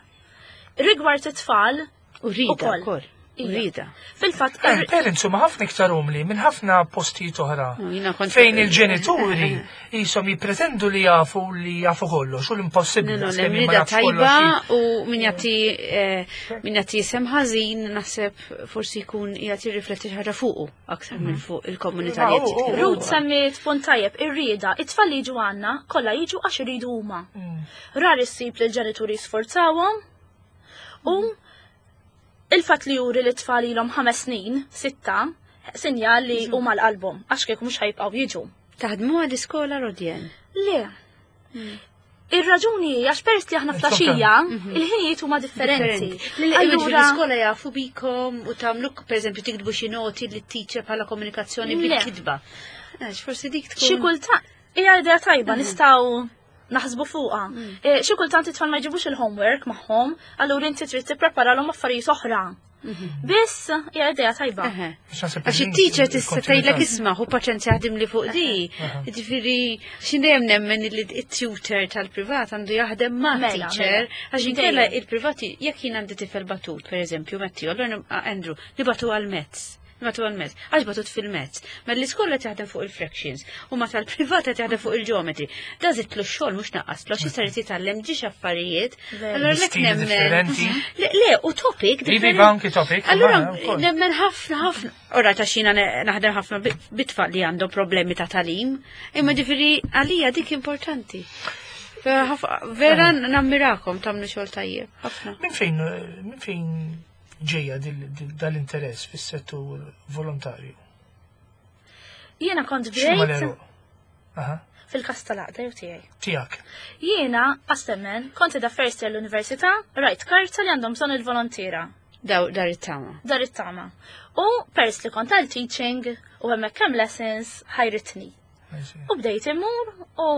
Rigward it-tfal, U rida Ukoll. ukoll. U Ija. rida. fil-fatt Eh, Parents huma ħafna iktar umli minn ħafna postijiet oħra. No, jiena kont- Fejn il-ġenituri jisom jipretendu li jafu li jafu kollox u l-impossibbli. No, no, għax kemm jien ma l-emrida nafx kollox tajba u min jagħti eh, min jagħti isem ħażin naħseb forsi jkun jagħti rifletti xi ħaġa fuqu aktar minn fuq il-komunità li Ah, qed u- u- jitkellmu. Ruth semmiet punt tajjeb, ir-rieda, it-tfal li jiġu għandna, kollha jiġu għax iridu huma. Mm. Rar issib li l-ġenituri sforzawhom u il-fatt li juri li t-tfal ilhom ħames snin, sitta, sinjal li huma l-qalbhom, għax kieku mhux ħa jibqgħu jiġu. Taħdmu għall-iskola Rodjen. Le. Ir-raġuni hija għax peress li aħna flaxija, il-ħinijiet huma differenti. Allura l-iskola jafu bikom u tagħmlu pereżempju tiktbu xi noti li teacher bħala komunikazzjoni Le. bil-kitba. Għax forsi dik tkun. Xi kultant hija idea tajba nistgħu naħsbu fuqha. Eh, Xi kultant it-tfal ma jġibux il-homework magħhom, allura inti trid tippreparalhom affarijiet oħra. Biss hija idea tajba. Eħe. Għax naħseb Għax il- it-teacher tista' tgħidlek il-kontinuità. isma' hu paċenzja jaħdem li fuq di. Ġifieri xi dejjem nemmen li it-tutor tal-privat għandu jaħdem ma' Mela, teacher mela. għax inkella Dejjem. il-privati jekk jien għandi tifel batut, pereżempju, Matteo, allura nib- Andrew, nibagħtu għal-maths. Nibagħtu għal-maths, għax batut fil-maths. Ma l-iskola taħdem fuq il-fractions u ma tal-privat taħdem fuq il-geometry. Da żidtlu x-xogħol mhux naqaslu, għax issa jrid jitgħallem ġiex affarijiet. Veru. Allura lek Stili nemmen. differenti. Le, le, u topic Iva, differenti. iva, anki topic, Allura, ma, wkoll. nemmen ħafna, ħafna. Ora, ta' xina naħdem ħafna bi- bit-tfal li għandhom problemi ta' tagħlim, imma ġifieri għalija dik importanti. Vera ħaf- Vera nammirakom tagħmlu xogħol tajjeb, ħafna. Minn fejn minn fejn ġejja dil- dil- dal-interess fis-settur volontarju? Jiena kont X'huma bdejt l-għeruq? Aha, fil-kas tal-għaqda jew tiegħi. tiegħek. Jiena, għastemmen, kont da first year l-università, rajt karta li għandhom bżonn il-volontira. Daw dar it-tama. Dar it-tama. U pers li kont għal teaching u hemmhekk hemm lessons ħajritni. U bdejt immur u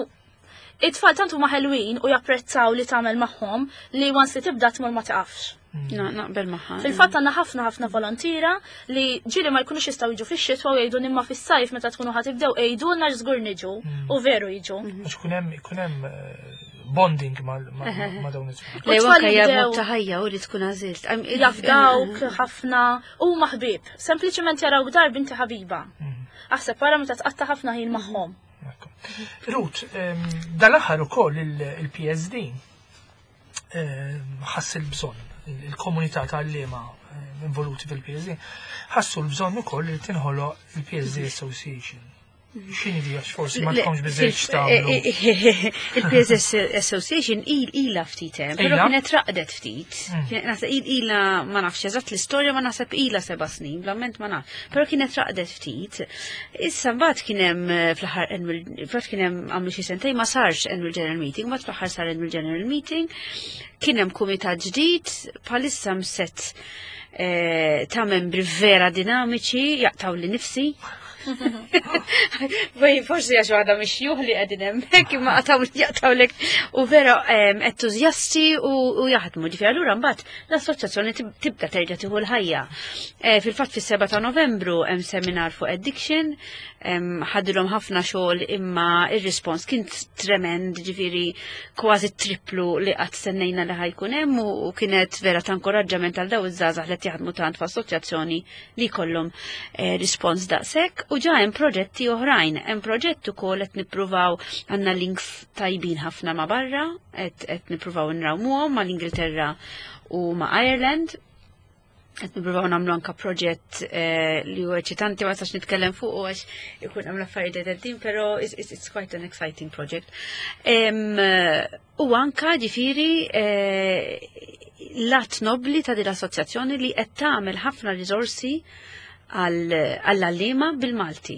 it-tfal tant huma ħelwin u japprezzaw li tagħmel magħhom li once li tibda tmur ma tiqafx. Na- Naqbel magħha. Fil-fatt għandna ħafna ħafna volontira li ġieli ma jkunux jistgħu jiġu fix-xitwa u jgħidu imma fis-sajf meta tkunu ħa tibdew għidulna żgur niġu u veru jiġu. Għax ikun hemm ikun hemm eh, bonding ma' ma' ma' dawn it-tfal. Le, U tfal anka hija jibdew- mod ta' ħajja u li tkun għażilt. Am- il- Jafdawk ħafna u maħbib. Sempliċement jarawk dar binti ħabiba. Aħseb wara meta tqatta ħafna ħin magħhom. Ekku. Ruth, ehm, dal-aħħar ukoll il-P S D ehm, ħass il-bżonn, il-komunità tal-liema involuti fil-P S D, ħassu l-bżonn ukoll li tinħoloq il-P S D Association. X'inhi di għax forsi ma Le, tkomx biżejjed fil- x'tagħmlu. eh, eh, Il-P S S Association il ila ftit hemm, però Ila? kienet raqdet ftit. Kienet naħseb il ila ma nafx eżatt l-istorja ma naħseb ila seba' snin, bl-amment ma nafx. Però kienet raqdet ftit. Issa mbagħad kien hemm eh, fl-aħħar annual mbagħad kien hemm għamlu xi sentejn ma sarx annual general meeting, mbagħad fl-aħħar sar annual general meeting. Kien hemm kumitat ġdid, bħalissa mset eh, ta' membri vera dinamiċi, jaqtaw li nifsi. Bej, forsi għax waħda mixjuħ li qegħdin hemmhekk imma qataw jaqtawlek u vera em, entużjasti u, u jaħdmu. Ġifieri allura mbagħad l-assoċjazzjoni tib- tibda terġa' tieħu l-ħajja. Eh, Fil-fatt fis-seba ta' Novembru hemm seminar fuq addiction, em, ħadilhom ħafna xogħol imma ir-rispons kien tremend, ġifieri kważi triplu li qatt stennejna li ħa jkun hemm u u kienet vera ta' inkoraġġament għal daw iż-żgħażagħ li qed jaħdmu tant f'assoċjazzjoni li jkollhom eh, rispons daqshekk u ġa hemm proġetti oħrajn. Hemm proġett ukoll qed nippruvaw għandna links tajbin ħafna ma' barra, qed qed nippruvaw nrawmuhom mal-Ingilterra u ma' Ireland. Qed nippruvaw nagħmlu anka proġett eh, li huwa eċitanti ma nistax nitkellem fuq għax ikun hemm l-affarijiet qegħdin, però it's, it's, it's quite an exciting project. Em, eh, U anka ġifieri eh, l-att nobli ta' din l-assoċjazzjoni li qed tagħmel ħafna riżorsi għall-għalliema bil-Malti.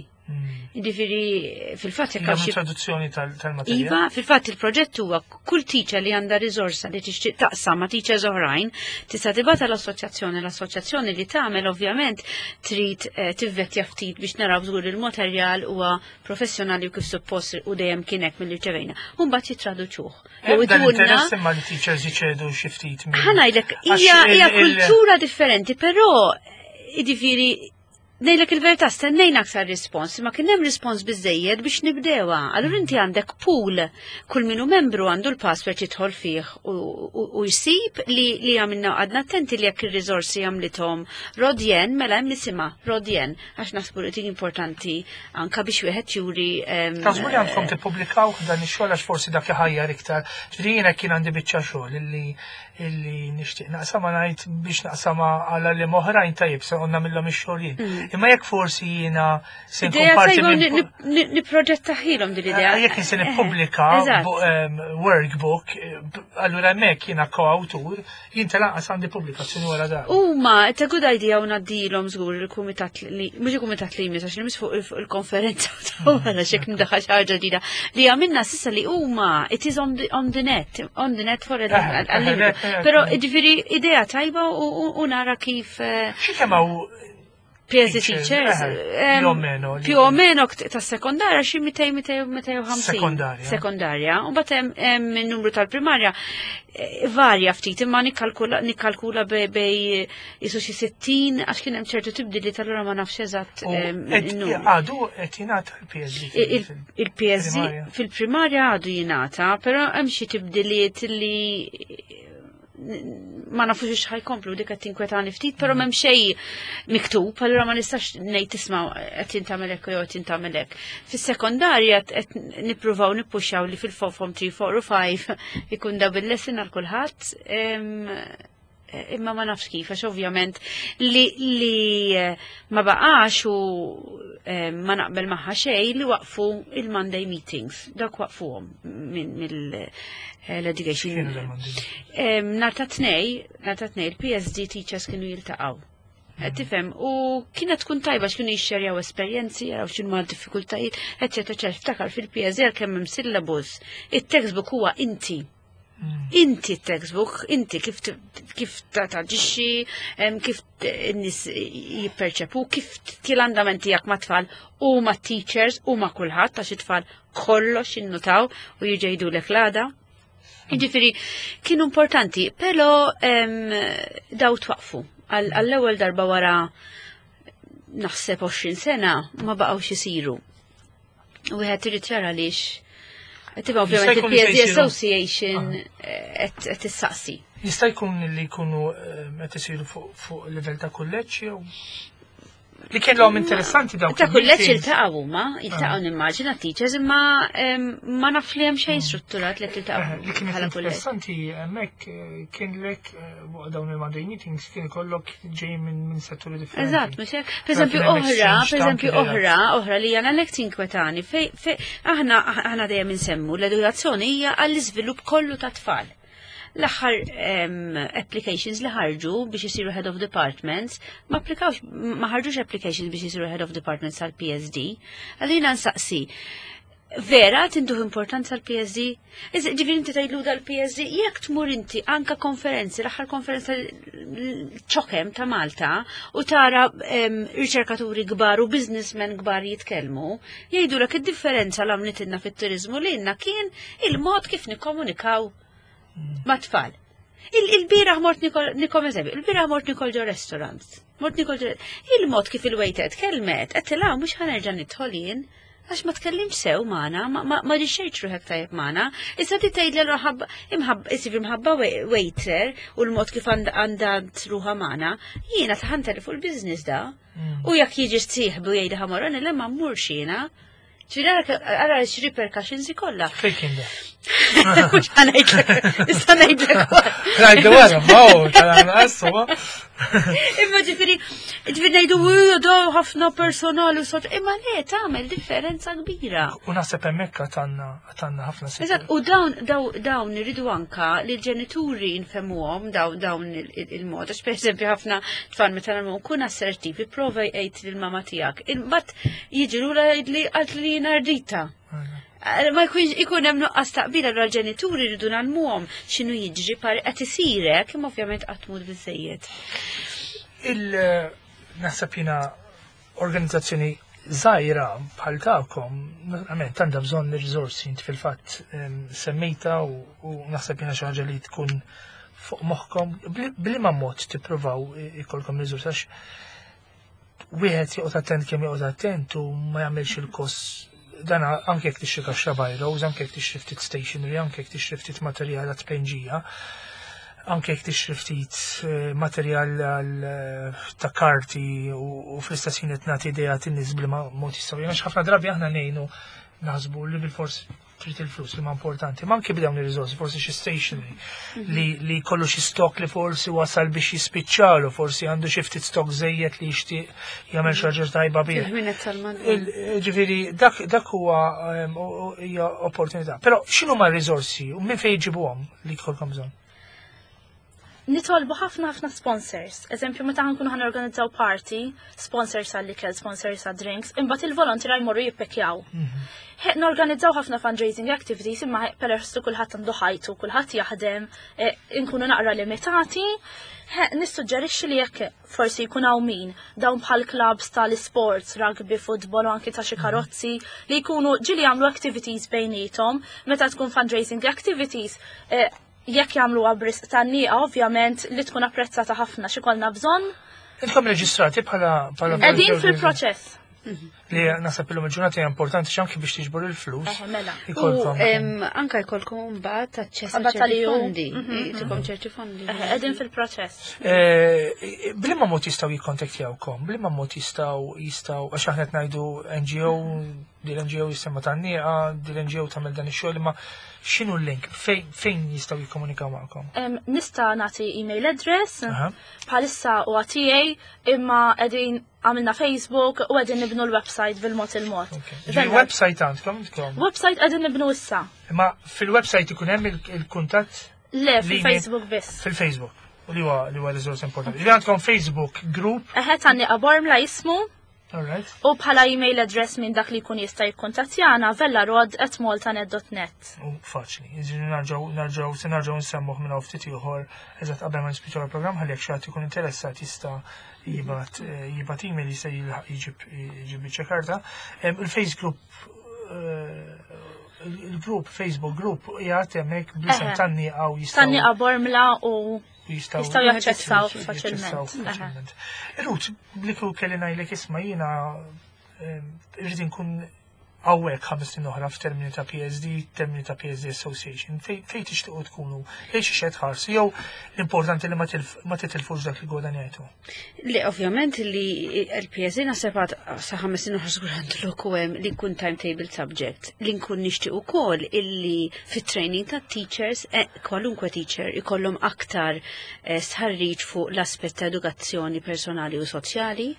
Jiġifieri fil-fatt jekk hawn traduzzjoni tal-materjal. Iva, fil-fatt il-proġett huwa kull teacher li għandha riżorsa li tixtieq taqsam ma' teachers oħrajn tista' tibgħatha l-assoċjazzjoni, l-assoċjazzjoni li tagħmel ovvjament trid eh, tivvettja ftit biex naraw żgur il-materjal huwa professjonali u kif suppost u dejjem kien hekk milli rċevejna. U mbagħad jittraduċuh. Jew interess imma li teachers jiċedu xi ftit minn. Ħa ngħidlek hija hija kultura differenti, però jiġifieri ngħidlek il-verità, stennejna aktar rispons, ma kien hemm rispons biżejjed biex nibdewa. Allura inti għandek pool, kull minu membru għandu l-password jidħol fih u jsib li li għamilna. Għadna attenti li jekk ir-riżorsi għamlithom Rodjen, mela hemm nisimha Rodjen, għax naħsbu li importanti anka biex wieħed juri. Taħsbu li għandkom tippubblikaw dan ix-xogħol, għax forsi dak iħajjar iktar? Ġifieri jiena kien għandi biċċa xogħol illi illi nixtieq naqsama, ngħid biex naqsama għal li oħrajn, tajjeb, se qonna minnhom ix-xogħol jien. Mm. Imma jekk forsi jiena se nkun parti minn Niproġettaħilhom din l-idea. Eh, jekk se nippubblika workbook, allura hemmhekk jiena koawtur, jien tal-anqas għandi pubblikazzjoni wara dan. Huma, it's a good idea u ngħaddilhom żgur il-kumitat li mhux il-kumitat li jmiss, għax li fuq il-konferenza ta' wara xek ndaħħal xi ħaġa ġdida li għamilna s'issa li huma it is on the, on the net, on the net for. Però ġifieri idea tajba u nara kif. Eh, Xi kemm P S D teachers. Più o meno. Più o meno ta' sekondarja xi mitejn, mitejn u ħamsin. Sekondarja. Sekondarja. U mbagħad hemm numru tal-primarja, eh, varja ftit, imma nikkalkula nikkalkula bej isu xi sittin, għax kien hemm ċertu tibdili tal-ura ma nafx eżatt. Għadu qed jingħata l-P S D? Il-P S D fil-primarja għadu jingħata, però hemm xi tibdiliet li ma nafux ħa jkomplu, dik qed tinkwetani ftit, però m'hemm xejn miktub, allura ma nistax ngħid tisma' qed jintamel hekk jew qed jintamel hekk. Fis-sekondarja qed nippruvaw nippuxxaw li fil-form tlieta, erba' u ħamsa ikun double lesson għal kulħadd. Imma ma nafx kif, għax ovvjament li, li eh, ma baqax u eh, ma naqbel magħha xejn li waqfu il-Monday meetings. Dak waqfuhom mill-education. Nhar ta' Tnejn, nhar ta' Tnejn, il-P S D teachers kienu jiltaqgħu. Mm. Tifhem, u kienet tkun tajba x'kienu jixxerjaw esperjenzi, jaraw x'inhu ma diffikultajiet, eċetera, eċetera. Ftakar fil-P S D kemm hemm syllabus, it-textbook huwa inti. Mm. Inti textbook, inti kif kif taġixxi, kif n-nies jipperċepu, kif til-andament tiegħek ma' tfal u ma' teachers u ma' kulħadd, għax it-tfal kollox jinnutaw u jiġu l-għada. Ġifieri, kienu importanti, pero daw twaqfu. Għall-ewwel darba wara naħseb għoxrin sena ma baqgħux isiru. U wieħed irid jara għaliex. Tibqa' ovvjament il-P S D Association ah. qed tissaqsi. Jista' jkun li jkunu qed isiru fuq livell ta' kulleġġ jew li kien l interessanti dawk. Ta' kulleġġ iltaqgħu huma, iltaqgħu ah. nimmaġina teachers, imma ma naf li hemm xejn mm. strutturat li tiltaqgħu. Eh, li kien interessanti hemmhekk eh, kien lek eh, waqt dawn il-Monday meetings kien ikollok ġej minn setturi differenti. Eżatt, mhux hekk. Per eżempju oħra, per eżempju oħra, oħra li jana lek tinkwetani, fej aħna aħna dejjem insemmu l-edukazzjoni hija għall-iżvilupp kollu ta' tfal. L-aħħar applications li ħarġu biex isiru head of departments, ma applikawx, ma ħarġux applications biex isiru head of departments għal P S D. Għalina nsaqsi, vera tinduh importanza l-P S D? Ġifieri inti tgħidlu dal-P S D, jekk tmur inti anka konferenzi, l-aħħar konferenza CHOGM ta' Malta, u tara riċerkaturi kbar u businessmen kbar jitkellmu, jgħidu l id-differenza l għamlitilna fit-turizmu li kien il-mod kif nikkomunikaw ma' tfal. Il-bieraħ mort nikol, eżempju, il-bieraħ mort nikol ġo restaurant. Mort nikol ġo il-mod kif il-waiter tkellmet, għedtilha mhux ħa nerġa' nidħol jien, għax ma tkellimx sew magħna, ma ġixxejtx ruħek tajjeb magħna. Issa ti tgħid li imħabba, isir imħabba waiter u l-mod kif għandha ruħha magħna, jiena taħanteli fuq il-business da. Mm. U jekk jiġi sieħbu jgħidha ħa mmur, le ma mmurx jiena. Ġifieri ara x-repercussions kollha. Fejn kien da? Mhux ħa ngħidlek, issa ngħidlek. Ngħidu wara, ma hu, tal-anqas, Imma ġifieri, ġifieri ngħidu da ħafna personal u sot, imma le tagħmel differenza kbira. U naħseb hemmhekk għandna għandna ħafna. Eżatt, u dawn dawn irridu anka li l-ġenituri nfehmuhom dawn dawn il-mod. Għax pereżempju ħafna tfal meta nagħmlu kun assertiv, ipprova jgħid lill-mama tiegħek. Imbagħad jiġi lura jgħidli qalt li jiena ardita. Ma jkunx ikun hemm nuqqas taqbil, allura l-ġenituri rridu ngħallmuhom x'inhu jiġri par qed isirek, imma ovvjament qatt mhux biżejjed. Il naħseb jiena organizzazzjoni żgħira bħal tagħkom, naturalment għandha bżonn ir-riżorsi, inti fil-fatt semmejta u naħseb jiena xi ħaġa li tkun fuq moħħkom, b'liema mod tippruvaw ikollkom riżorsi, għax wieħed joqgħod attent kemm joqgħod attent u ma jagħmilx il-kost dan anke jekk tixtri kaxxa biros, anke jekk tixtri ftit stationery, anke jekk tixtri ftit materjal għat-tpenġija, anke jekk tixtri ftit materjal ta' karti u fl-istess ħin qed nagħti idea tin-nies b'liema mod jistgħu. Għax ħafna drabi aħna ngħinu naħsbu li bil-fors trid il-flus li ma importanti, ma anke b'dawn ir-riżorsi, forsi xi stationery li li kollu xi stock li forsi wasal biex jispiċċalu, forsi għandu xi ftit stock żejjed li jixtieq jagħmel xi ħaġa tajba bih. Ġifieri dak dak huwa hija opportunità. Però x'inhu ma r-riżorsi u minn fejn jġibuhom li jkollkom bżonn? Nitolbu ħafna ħafna sponsors. Eżempju, meta ħankunu ħan organizzaw party, sponsors għall-ikel, sponsors għal drinks, imbagħad il-volontiera jmorru jippekkjaw. Norganizzaw ħafna fundraising activities, imma peress li kulħadd għandu ħajtu, kulħadd jaħdem, inkunu naqra limitati. Nissuġġerixxi li jekk forsi jkun hawn min dawn bħal clubs tal-sports, rugby, football u anki ta' xi karozzi li jkunu ġieli jagħmlu activities bejniethom, meta tkun fundraising activities, jekk jagħmlu b'risq Tan-Nieqa, ovvjament li tkun apprezzata ħafna xi kollna bżonn. Intom reġistrati bħala bħala Qegħdin fil-proċess. Li naħseb illum il-ġurnata hija importanti x'anki biex tiġbor il-flus. Eħe, mela. U anka jkollkom mbagħad aċċess għal ċerti fondi. Jtikom ċerti fondi. Eħe, qegħdin fil-proċess. B'liema mod jistgħu jikkontaktjawkom? B'liema mod jistgħu jistgħu għax aħna qed ngħidu N G O, din N G O jisimha Tan-Nieqa, din N G O tagħmel dan ix-xogħol, imma x'inhu l-link? Fejn jistgħu jikkomunikaw magħkom? Nista' nagħti email address, bħalissa huwa tiegħi, imma qegħdin għamilna Facebook u qegħdin nibnu l-website bil-mod il-mod. Il-website għandkom? Website qegħdin nibnu issa. Imma fil-website ikun hemm il-kuntatt? Le, fil-Facebook biss. Fil-Facebook. U li huwa li huwa riżors importanti. Li għandkom Facebook group? Eħe, Tan-Nieqa Bormla jismu. Alright. U bħala email address minn dak li jkun jista' jikkuntattjana vellarod at maltanet dot net. U faċli. Jiġifieri narġgħu nerġgħu se nerġgħu nsemmuh minn hawn ftit ieħor eżatt qabel ma nispiċċaw il-programm ħalli jekk xi ħadd ikun interessat jista' jibgħat jibgħat email, jista' jġib jġib biċċa karta. Il-Facebook il-group, Facebook group jgħat hemmhekk bl-isem Tan-Nieqa u jistgħu. Tan-Nieqa Bormla u jistgħu jistgħu jaċċessaw faċilment. Ruth, bliku kelli ngħidlek isma' jiena irrid inkun hawnhekk ħames snin oħra f'termini ta' P S D, termini ta' P S D Association, fejn tixtiequ tkunu, lejn xi xed ħarsu, jew l-importanti li ma titilfux dak li gwadanjajtu? Li ovvjament li l-P S D naħseb għad sa ħames snin oħra żgur għandu lok hemm li nkun timetable subject, li nkun nixtieq ukoll illi fit-training ta' teachers, eh, kwalunkwe teacher ikollhom aktar eh, stħarriġ fuq l-aspett ta' edukazzjoni personali u soċjali.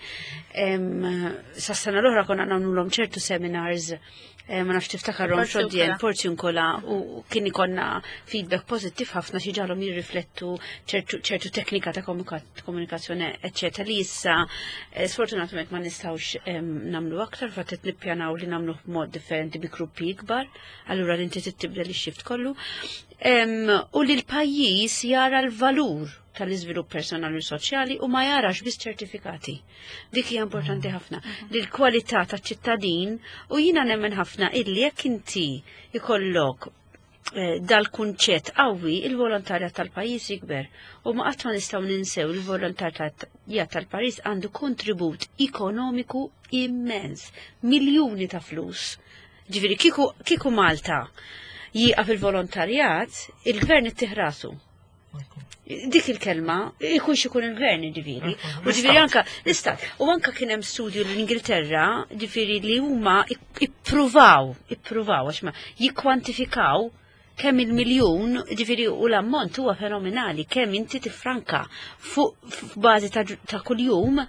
Sa sena l-oħra konna nagħmluhom ċertu seminars, eh, ma nafx tiftakarhom xodjen Porziuncola, u kien ikonna feedback pozittiv ħafna xi ġalhom jirriflettu ċertu teknika ta' komunikazzjoni, eċċetera, li issa eh, sfortunatament ma nistgħux nagħmlu aktar, fatt qed nippjanaw li nagħmlu b'mod differenti bi gruppi ikbar, allura li inti tibdel ix-shift kollu. U li l-pajjiż jara l-valur tal-iżvilupp personali u soċjali u ma jarax biss ċertifikati. Dik hija importanti ħafna. Li l-kwalità taċ-ċittadin, u jiena nemmen ħafna illi jekk inti ikollok eh, dal-kunċett qawwi, il-volontarjat tal-pajjiż jikber u ma qatt ma nistgħu ninsew il-volontarjat tal-pajjiż għandu kontribut ekonomiku immens, miljuni ta' flus. Ġifieri kieku kieku Malta jieqaf il-volontarjat, il-gvern ittih rasu. Dik il-kelma, ikun xikun il-gvern, ġifieri. U ġifieri anka, l-istat, u anka kien hemm studju l-Ingilterra, ġifieri li huma ippruvaw, ippruvaw, għax ma jikkwantifikaw Kemm il-miljun, ġifieri, u l-ammont huwa fenomenali, kemm inti tifranka fuq f'bażi ta' ta' kuljum.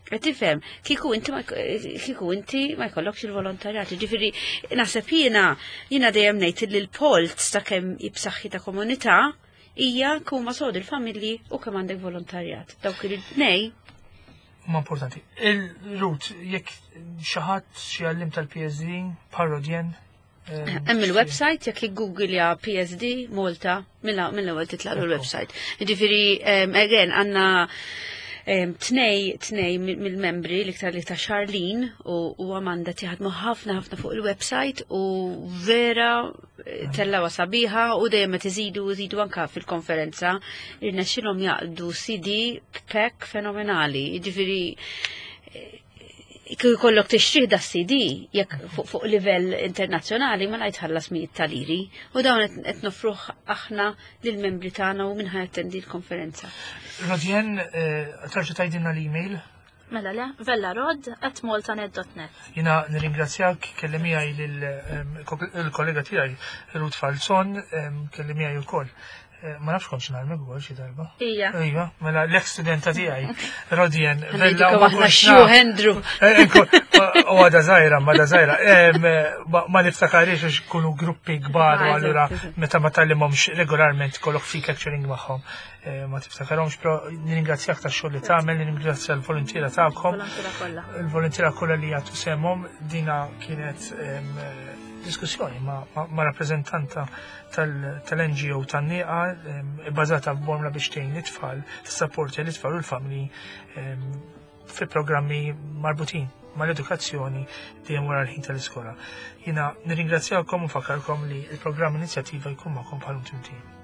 Qed tifhem, kieku inti ma kieku inti ma jkollokx il-volontarjat. Ġifieri naħseb jiena jiena dejjem ngħid li l-polz ta' kemm jibsaħħi ta' komunità hija kuma sod il-familji u kemm għandek volontarjat. Dawk il-tnej. Ma importanti. Il-Ruth, jekk xi ħadd, xi għalliem tal-P S D, parodjen. Hemm il-website, jekk jiggooglja P S D Malta, mill-ewwel titlaqlu l-website. Ġifieri again għandna tnej tnej mill-membri, l-iktar li ta' Charlene u, u Amanda, jaħdmu ħafna ħafna fuq il-website u vera eh, tellawa sabiħa u dejjem qed iżidu iżidu anka fil-konferenza irnexxilhom jaqdu C D pack fenomenali. Ġifieri kieku jkollok tixtrih da C D jekk fuq fuq livell internazzjonali ma jitħallas mijiet ta' liri u dawn qed qed nofruh aħna lill-membri tagħna u minn jattendi l-konferenza. Rodjen, terġa' tgħidilna l-email. Mela le, vellarod at maltanet dot net. Jiena nirringrazzjak, kelli miegħi il-kollega tiegħi Ruth Falzon, kelli miegħi wkoll. Eh, Ma nafx kontx ngħallmek ukoll xi darba. Ija. Iva, mela l-ex studenta tiegħi, Rodjen. Vella, u ma aħna kontx xju naf. Andrew. Eh, ekku, u għada zaħira, ma da zaħira. Em, Ma ma niftakarix għax kunu gruppi kbar u Ah, allura eżatt, eżatt. meta ma tgħallimhomx regolarment kollok fik lecturing magħhom. Eh, Ma tiftakarhomx, però nirringrazzjak tax-xogħol li tagħmel, nirringrazzja l-volontiera tagħkom, Volontiera kollha. Il-volontiera kollha li jagħtu sehemhom. Dina kienet em, diskussjoni ma, ma, ma rappreżentanta tal-N G O tan-Nieqa em, bbażata f'Bormla biex tgħin it-tfal, tissapporti l-itfal u l-familji em, fi programmi marbutin mal-edukazzjoni dejjem wara l-ħin tal-iskola. Jiena nirringrazzjakom u nfakkarkom li il-programm Inizjattiva jkun magħkom bħal timtien.